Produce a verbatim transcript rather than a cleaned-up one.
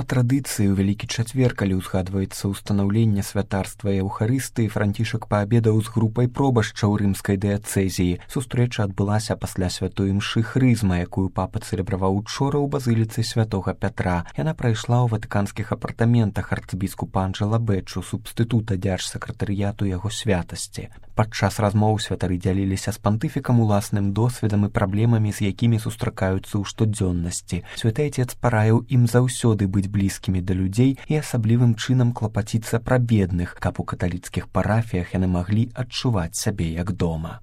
Па традыцыі ў вялікі чацвер, калі ўзгадваецца ўстанаўленне святарства Еўхарыстыі, Францішак паабедаў з групай пробашчаў рымскай дыяцэзіі. Сустрэча адбылася пасля святой імшы хрызма, якую папа цэлебраваў учора ў базыліцы святога Пятра. Яна прайшла ў ватыканскіх апартаментах арцыбіскупа Анджэла Бэчу, субстытута дзяржсакратарыяту яго святасці. Падчас размоў святары дзяліліся з пантыфікам уласным досведам і праблемамі, з якімі сустракаюцца ў штодзённасці. Святы Отец параіў ім заўсёды быць блізкімі да людзей і асаблівым чынам клапаціцца пра бедных, каб у каталіцкіх парафіях яны маглі адчуваць сябе як дома.